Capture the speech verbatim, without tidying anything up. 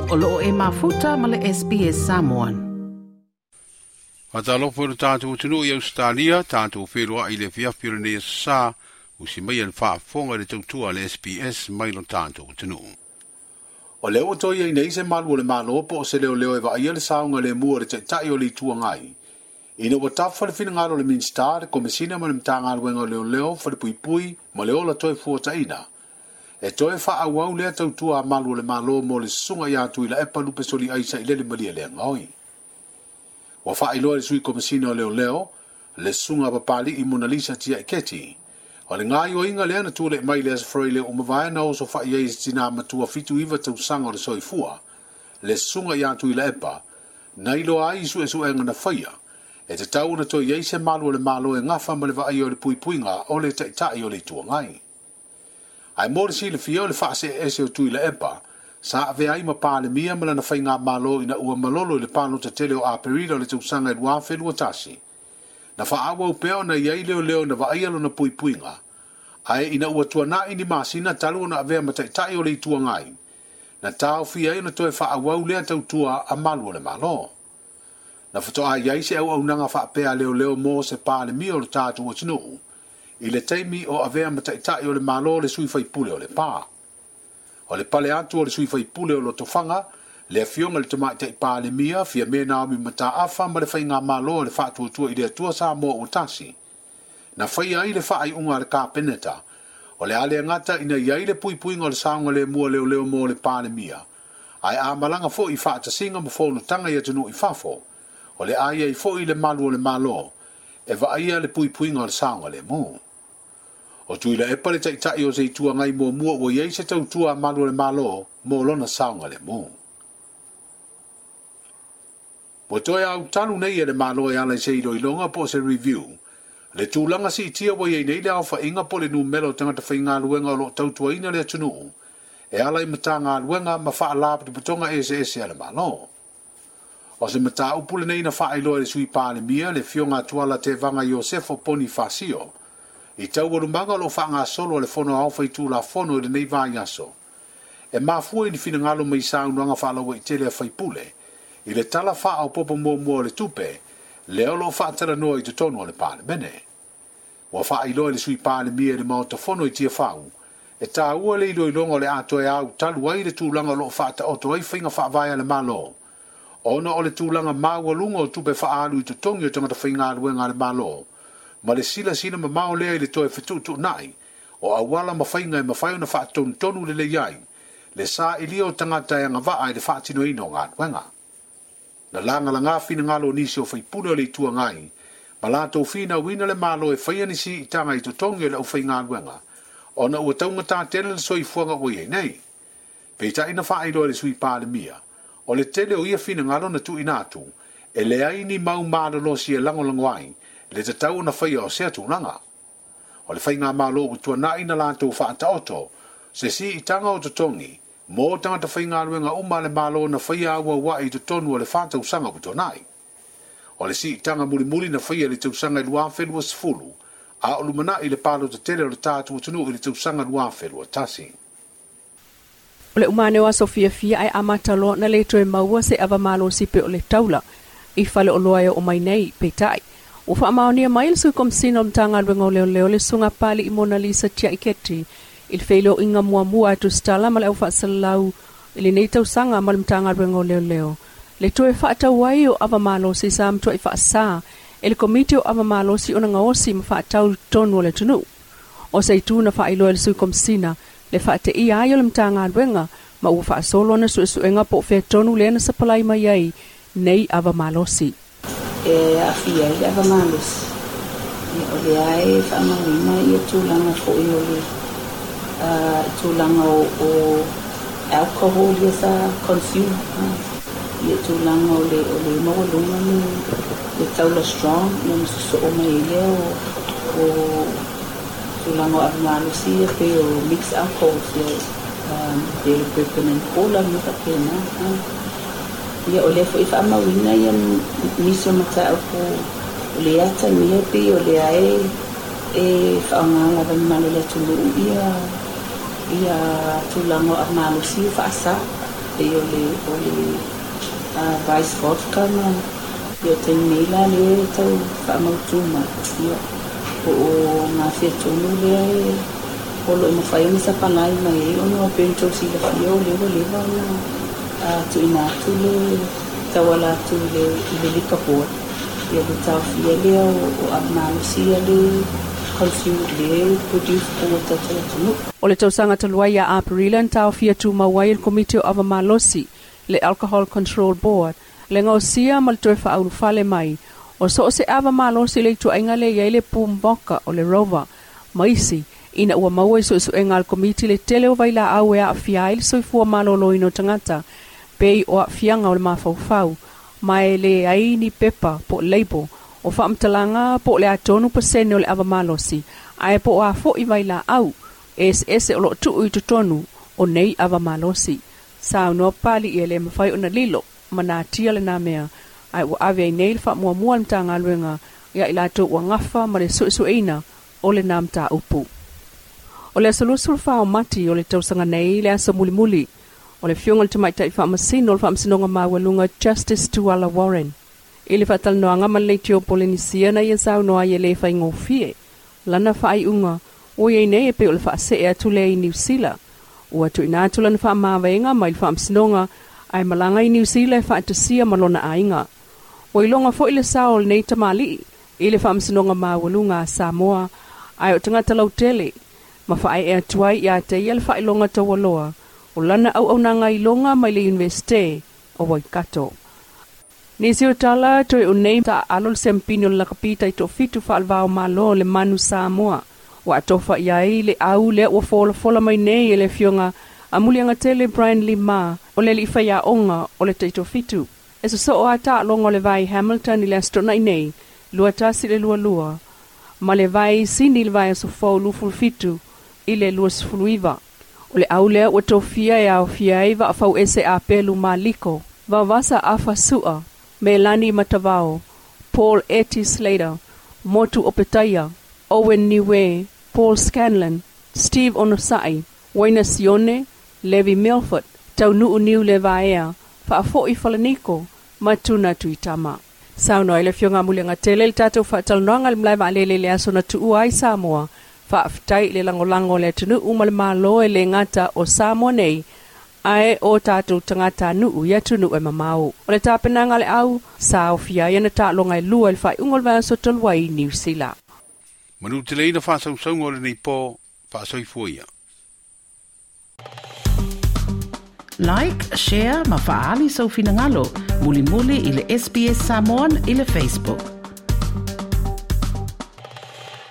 O loo e mafuta ma le S B S Samoan. Faatalofa i le tatou atunuu i Ausetalia, tatou feloai i le afiafi o lenei aso Sa, usi mai e le faafofoga i le tautua a le S B S mai lo tatou atunuu. O lea ua toe i ai nei se malu o le Malo po o se leoleo e vaaia le saoga lemu o le taitai o le Itu Agai. Ina ua tafa le finagalo o le Minisita, le Komesina ma le Matagaluega o Leoleo, Falepuipui ma le Ola Toe Fuataina. E toe faaauau lea tautua a malu o le Malo mo le susuga ia Tuilaepa Lupesoliai Sailele Malielegaoi. Ua faailoa e le Sui Komesina o Leoleo, le susuga a Papali'i Monalisa Tiaiketi. O le gaoioiga lea na tulai mai le Aso Faraile ua mavae na oso fai ai se tina matua fitu iva tausaga o le soifua, le susuga ia Tuilaepa, na iloa ai i suesuega na faia, e tatau ona toe i ai se malu o le Malo e gafa ma le vaaia o le puipuiga o le taitai o le Itu Agai. Ae mo le silafia o le faaseese o Tuilaepa, sa avea ai ma Palemia ma lana faigamalo ina ua malolo i le palota tele o Aperila o le tausaga e lua afe lua tasi. Na faaauau pea ona i ai leoleo na vaaia lona puipuiga, ae ina ua tuanai ni masina talu ona avea ma taitai o le Itu Agai, na taofia ai ona toe faaauau lea tautua a malu o le Malo. Na faatoa i ai se auaunaga faapea leoleo mo se Palemia o le tatou atunuu, i le taimi o avea ma taitai o le Malo le sui faipule o Lepa. O le pale atu o le sui faipule o Lotofaga, le afioga i le tamaitai Palemia, Fiame Naomi Mataafa ma le faigamalo o le faatuatua i le Atua Samoa ua tasi. Na faia ai le faaiuga a le Kapeneta, o le a le gata ina i ai le puipuiga o le saogalemu a leoleo mo le Palemia, ae a malaga foi i faatasiga ma fonotaga i atunuu i fafo, o le a i ai foi le malu o le Malo, e vaaia le puipuiga o le saogalemu. O Tuilaepa le taitai o se Itu Agai muamua ua i ai se tautua a malu o le Malo mo lona saogalemu. Ua toe autalu nei e le Malo e ala i se iloiloga po o se review, le tulaga siitia ua i ai nei le aofaiga po o le numera o tagata faigaluega o loo tautuaina le atunuu, e ala i matagaluega ma faalapotopotoga eseese a le Malo. O se mataupu lenei na faailoa e le Sui Palemia, le afioga Tuala Tevaga Iosefo Ponifasio, i taualumaga o loo faagasolo a le Fono Aoao Faitulafono i lenei vaiaso. E mafua i ni finagalo mai saunoaga faalauaitele a faipule, i le tala faaopoopo muamua o le tupe, lea o loo faatalanoa i totonu o le Palemene. Ua faailoa e le Sui Palemia i le Maota Fono i Tiafau, e taua le iloiloga o le a toe autalu ai le tulaga o loo faataoto ai faiga faavae a le Malo, ona o le tulaga maualuga o tupe faaalu i totogi o tagata faigaluega a le Malo, ma le silasila mamao lea i le toe fetuutuunai o auala ma faiga e mafai ona faatonutonu lelei ai le sailia o tagata e agavaa i le faatinoina o galuega. Na lagalaga finagalo o nisi o faipule o le Itu Agai, ma latou finauina le Malo e faia ni siitaga i totogi o le aufaigaluega, ona ua taugata tele le soifuaga ua i ai nei. Peitai na faailoa e le Sui Palemia, o le tele o ia finagalo na tuuina atu, e leai ni mau malolosi e lagolago ai le tatau ona faia o sea tulaga. O le faigamalo ua tuanai na latou faataoto, se siitaga o totogi, mo tagata faigaluega uma a le Malo na faia auauai i totonu o le fa tausaga ua tuanai. O le siitaga mulimuli na faia i le tausaga i lua afe lua sefulu, a o lumanai le palota tele o le tatou atunuu i le tausaga lua afe lua tasi. O le umane o aso fiafia ai amata loa na le toe maua se avamalosi pe o le taula i fale o loa e o mai nei peitai. Ua faamaonia mai le Sui Komesina o le Matagaluega o Leoleo le susuga Papali'i Monalisa Tiaiketi i le feiloaiga muamua a Tusitala ma le aufaasalau i lenei tausaga ma le Matagaluega o Leoleo. Le toe faatau ai o avamalosi sa matuai faasa e le Komiti o Avamalosi ona gaosi ma faatau totonu o le atunuu. O se itu na faailoa e le Sui Komesina le faateia ai o le Matagaluega ma ua faasolo ona suesuega po o fea tonu lea na sapalai mai ai nei avamalosi. E aafia ai le avamalosi, o lea e faamauina ia tulaga foi o le tulaga o alcohol ia sa consume, ia tulaga o le o le maualuga le taula strong, ia ma sosoo mai ai lea o tulaga o avamalosi ia pei o mixed alcohols, ia pei o le bourbon and cola ma faapena. Ia o lea foi faamauina ia nisi o mataupu o le atagia pei o lea e e faaaoga lava mamalu o le atunuu ia ia tulaga o avamalosi faasa. pei o le o le uh, Vice Vodka ma ia o taimi nei la lea e tau faamautū mai ia po o gafea tonu lea e o loo mafai ona sapalai mai ai ona e pei ona tou silafia o lea ua leva ona tuuina atu le tauala atu i le i le Liquor Board ia le taofia lea o, o ava malosi ia le consume le produce i totonu o le tatou atunuu. O le tausaga talu ai ia Aperila na taofia tumau ai e le Komiti o Ava Malosi, le Alcohol Control Board, le gaosia ma le toe faaulufale mai o so o se ava malosi i le ituaiga lea e i ai le Boom Vodka o le Rover ma isi ina ua maua i suesuega a le Komiti le tele o vailaau e aafia ai le soifua maloloina o tagata pei o aafiaga o le mafaufau ma e leai ni pepa po o label o faamatalaga po o le a tonu pasene o le ava malosi ae po o a foi vailaau eseese o loo tuu i totonu o nei ava malosi. Saunoa Papali'i e le mafai ona lilo ma natia lena mea ae ua ave ai nei le faamuamua a le Matagaluega ia i latou ua gafa ma le suesueina o lena mataupu. O le aso luasefulu fa o Mati o le tausaga nei le aso mulimuli o le Afioga i le Tamaitai Faamasino o le Faamasinoga Maualuga Justice Tuala Warren i le faatalanoaga ma le Leitio Polenisia na ia saunoa ai e le faigofie lana faaiuga ua i ai nei e pei o le faasee atu lea i Niu Sila. Ua tuuina atu lana faamavaega mai le Faamasinoga ae malaga i Niu Sila e faatasia ma lona aiga. Ua iloga foi le sao o lenei tamalii i le Faamasinoga Maualuga a Samoa ae o tagata lautele ma faaee atu ai ia te ia le faailoga taualoa o lana auaunaga iloga mai le Iunivesite o Waikato. Nisi o tala toe o nei taaalo le siamupini o le lakapi taitoafitu faalevao malo le Manu Samoa. Ua atofa i ai le au lea ua folafola mai nei e le Afioga a Muliagatele Brian Lima o le alii faiaoga o le taitoafitu. E sosoo a taaloga o le vai Hamilton i le Aso Toonai nei, lua tasi i le lua lua, ma le vai Sini i le vaiaso fou luafulu fitu i le luasefulu iva. O le au lea ua tofia e aofia ai vaafauese Apelu Maliko, Vaovasa Afa Sua, Melani Matavao, Paul Eti Slater, Motu Opetaia, Owen Niue, Paul Scanlon, Steve Onosai, Waina Sione, Levi Milford, Taunuu Niu Levaea, Faafoi Falaniko, ma Tuna Tuitama. Saunoa ai le Afioga a Muliagatele i le tatou faatalanoaga i le malae vaalele i le aso na tuua ai Samoa. Faafetai i le lagolago o le atunuu ma le Malo e le gata o Samoa nei ae o tatou tagatanuu i atunuu e mamao. O le tapenaga a le au, sa aofia ai ana taaloga e lua i le faaiuga o le vaiaso talu ai i Niu Sila. Manuteleina faasausauga o lenei po, faasoifua ia. Like, share ma faaali sou finagalo mulimuli i le S B S Samoan i le Facebook.